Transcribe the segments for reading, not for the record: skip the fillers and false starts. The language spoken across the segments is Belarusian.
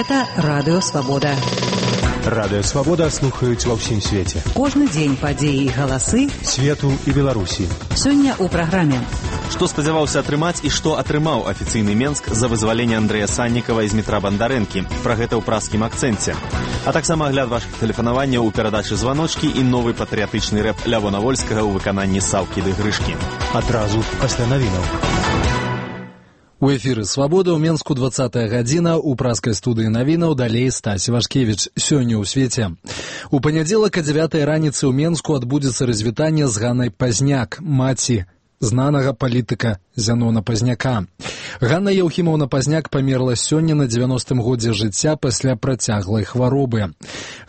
Гэта Радыё Свабода. Радыё Свабода слухаюць ва ўсім свеце. Кожны дзень падзеі і галасы свету і Беларусі. Сёння ў праграме. Што спадзяваўся атрымаць і што атрымаў афіцыйны Менск за вызваленне Андрэя Саннікава з метра Бандарэнкі. Пра гэта ў праскім акцэнце. А таксама агляд вашых тэлефанаванняў у перадачы «Званочкі» і новы патрыятычны рэп Лявона Вольскага ў выкананні Саўкі ды Грышкі. Адразу пасля навінаў. У эфіры «Свабода» ў Менску 20-я гадзіна, у праскай студыі навінаў далей Стась Вашкевіч. Сёння ў свеце. У панядзелак о 9-й раніцы ў Менску адбудзецца развітанне з Ганнай Пазняк, маці знанага палітыка Зянона Пазняка. Ганна Яўхімаўна Пазняк памерла сёння на 90-м годзе жыцця пасля працяглай хваробы.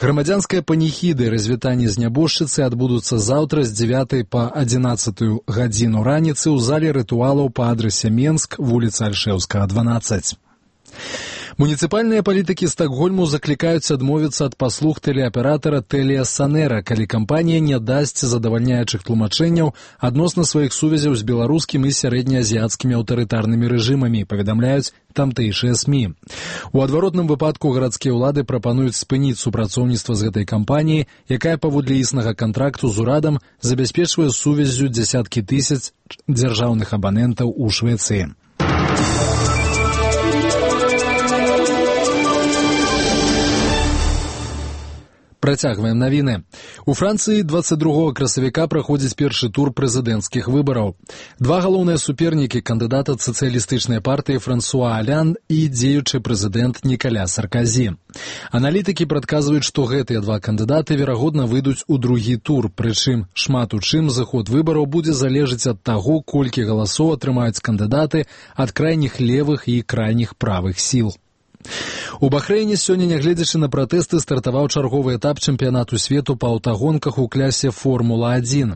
Грамадзянская паніхіды і развітанне з нябожчыцай адбудуцца заўтра з 9 па 11 гадзіну раніцы ў зале рытуалаў па адрасе Менск, вуліца Альшэўскага, 12. Муніцыпальныя палітыкі Стакгольму заклікаюць адмовіцца ад паслуг тэлеаператара Тэлія Санэра, калі кампанія не дасць задавальняючых тлумачэнняў адносна сваіх сувязяў з беларускім і сярэднеазіяцкімі аўтарытарнымі рэжымамі, паведамляюць тамтэйшыя СМІ. У адваротным выпадку гарадскія ўлады прапануюць спыніць супрацоўніцтва з гэтай кампаніяй, якая паводле існага кантракту з урадам забяспечвае сувяззю дзясяткі тысяч дзяржаўных абанентаў у Швецыі. Працягваем навіны. У Францыі 22 красавіка праходзіць першы тур прэзідэнцкіх выбараў. Два галоўныя супернікі кандыдата сацыялістычнай партыі Франсуа Алянд і дзеючы прэзідэнт Нікаля Сарказі. Аналітыкі прадказваюць, што гэтыя два кандыдаты верагодна выйдуць у другі тур, прычым шмат у чым заход выбараў будзе залежыць ад таго, колькі галасоў атрымаюць кандыдаты ад крайніх левых і крайніх правых сіл. У Бахрэйне сёння, нягледзячы на пратэсты, стартаваў чарговы этап чэмпіянату свету па аўтагонках у клясе Формула-1.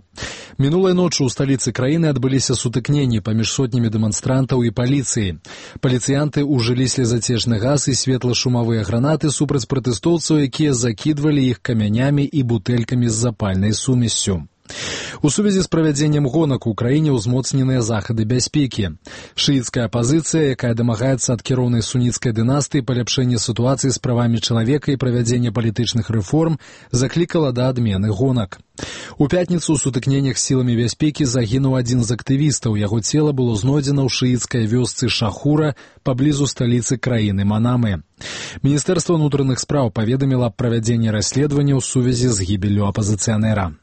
Мінулай ноччу ў сталіцы краіны адбыліся сутыкненні паміж сотнямі дэманстрантаў і паліцыяй. Паліцыянты ўжылі слезацечны газ і светла-шумавыя гранаты супраць пратэстоўцаў, якія закідвалі іх камянямі і бутэлькамі з запальнай сумессю. У сувязі з правядзеннем гонак у краіне ўзмоцненыя захады бяспекі. Шыіцкая апазіцыя, якая дамагаецца ад кіроўнай суніцкай дынастыі паляпшэння сітуацыі з правамі чалавека і правядзення палітычных рэформ, заклікала да адмены гонак. У пятніцу ў сутыкненнях з сіламі бяспекі загінуў адзін з актывістаў. Яго цела было знойдзена ў шыіцкай вёсцы Шахура паблізу сталіцы краіны Манамы. Міністэрства ўнутраных спраў паведаміла аб правядзенні расследавання ў сувязі з гібеллю апазіцыянера.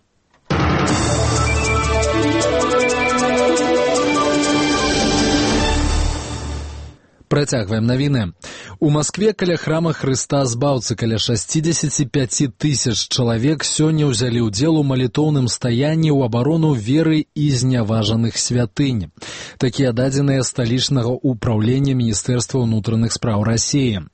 Працягваем навіны. У Маскве каля храма Хрыста Збаўцы каля 65 тысяч чалавек сёння ўзялі ўдзел у малітоўным стаянні ў абарону веры і зняважаных святынь. Такія дадзеныя сталічнага ўпраўлення Міністэрства ўнутраных спраў Расіі.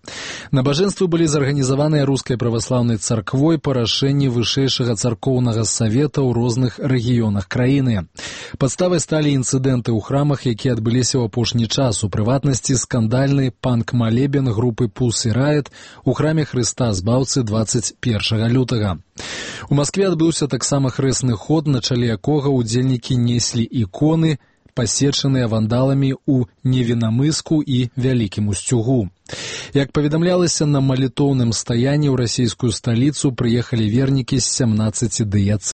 Набажэнствы былі зарганізаваныя рускай праваслаўнай царквой па рашэнні вышэйшага царкоўнага савета ў розных рэгіёнах краіны. Падставай сталі інцыдэнты ў храмах, якія адбыліся ў апошні час, у прыватнасці скандальны панк-малебен групы Pussy Riot у храме Хрыста Збаўцы 21 лютага. У Маскве адбыўся таксама хрэсны ход, на чале якога ўдзельнікі неслі іконы, пасечаныя вандаламі ў Невінамыску і Вялікім Усцюгу. Як паведамлялася, на малітоўным стаянні ў расійскую сталіцу прыехалі вернікі з 17 дыяцэзаў.